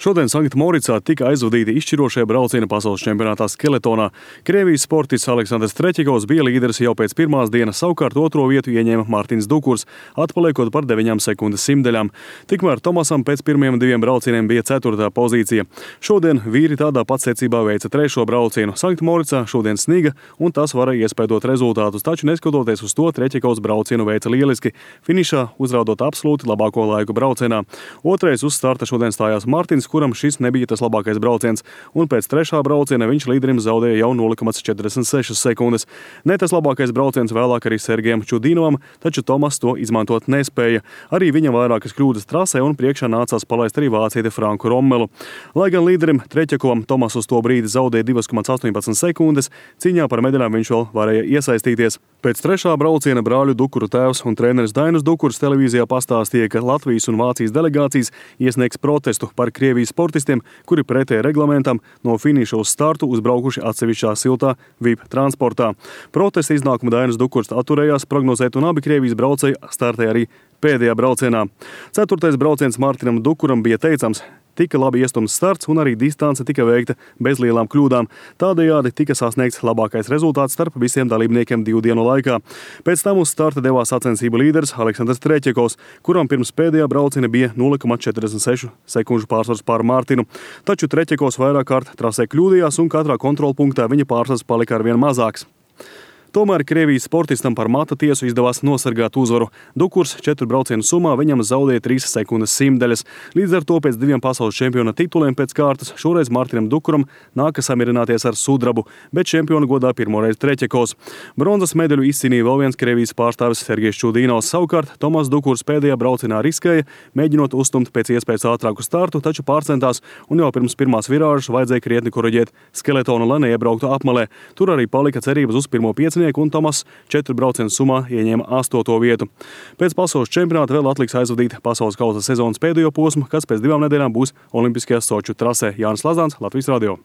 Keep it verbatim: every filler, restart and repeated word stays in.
Šodien Sanktmoricā tika aizvadīti izšķirošie braucieni pasaules čempionātā skeletonā. Krievijas sportists Aleksandrs Treķikovs bija līderis jau pēc pirmās dienas, savukārt otro vietu ieņēma Mārtiņš Dukurs, atpaliekot par deviņām sekundes simtdaļām. Tikmēr Tomasam pēc pirmajiem diviem braucieniem bija ceturtā pozīcija. Šodien vīri tādā pat secībā veica trešo braucienu. Sanktmoricā šodien sniga, un tas varēja iespēdot rezultātus, taču neskatoties uz to, Treķikovs braucienu veica lieliski, finišā uzrādot absolūti labāko laiku braucienā. Otrais uz starta šodien stājās Mārtiņš, kuram šis nebija tas labākais brauciens, un pēc trešā brauciena viņš līderim zaudēja jau nulle komats četrdesmit sešas sekundes. Ne tas labākais brauciens vēlāk arī Sergejam Čudinovam, taču Tomas to izmantot nespēja. Arī viņam vairākas kļūdas trasē, un priekšā nācās palaist arī vācieti Franku Rommelu. Lai gan līderim Treķikovam Tomas uz to brīdi zaudēja divas komats astoņpadsmit sekundes, cīņā par medaļām viņš vēl varēja iesaistīties. Pēc trešā brauciena brāļu Dukuru tēvs un treneris Dainis Dukurs televīzijā pastāstīja, ka Latvijas un Vācijas delegācijas iesniegs protestu par Krievijas sportistiem, kuri pretēji reglamentam no finiša uz startu uzbraukuši atsevišķā siltā V I P transportā. Protesta iznākumu Dainis Dukurs atturējās prognozēt, un abi Krievijas braucēji startēja arī pēdējā braucienā. Ceturtais brauciens Mārtiņam Dukuram bija teicams. Tika labi iestumts starts, un arī distance tika veikta bez lielām kļūdām. Tādējādi tika sasniegts labākais rezultāts starp visiem dalībniekiem divu dienu laikā. Pēc tam uz starta devās sacensību līderis Aleksandrs Treķikovs, kuram pirms pēdējā brauciena bija nulle komats četrdesmit sešu sekundžu pārsvars pār Mārtiņu. Taču Treķikovs vairāk kārt trasē kļūdījās, un katrā kontrolpunktā viņa pārsvars palika arvien mazāks. Tomēr Krievijas sportistam par mata tiesu izdevās nosargāt uzvaru. Dukurs četru braucienu summā viņam zaudēja trīs sekundes simtdaļas. Līdz ar to pēc diviem pasaules čempiona tituliem pēc kārtas šoreiz Mārtiņam Dukuram nākas samierināties ar sudrabu, bet čempionu godā pirmoreiz Treķikovs. Bronzas medaļu izcīnīja vēl viens Krievijas pārstāvis Sergejs Čudinovs. Savukārt Tomas Dukurs pēdējā braucienā riskēja, mēģinot uzstumt pēc iespējas ātrāku startu, taču pārcentās, un jau pirms pirmās virāžas vajadzēja krietni koriģēt skeletonu, lai neiebrauktu apmalē. Tur arī palika cerības uz pirmo piecinieku, un Tomas četru braucienu summā ieņēma astoto vietu. Pēc pasaules čempionāta vēl atliks aizvadīt pasaules kausa sezonas pēdējo posmu, kas pēc divām nedēļām būs Olimpiskajā Soču trasē. Jānis Lazāns, Latvijas radio.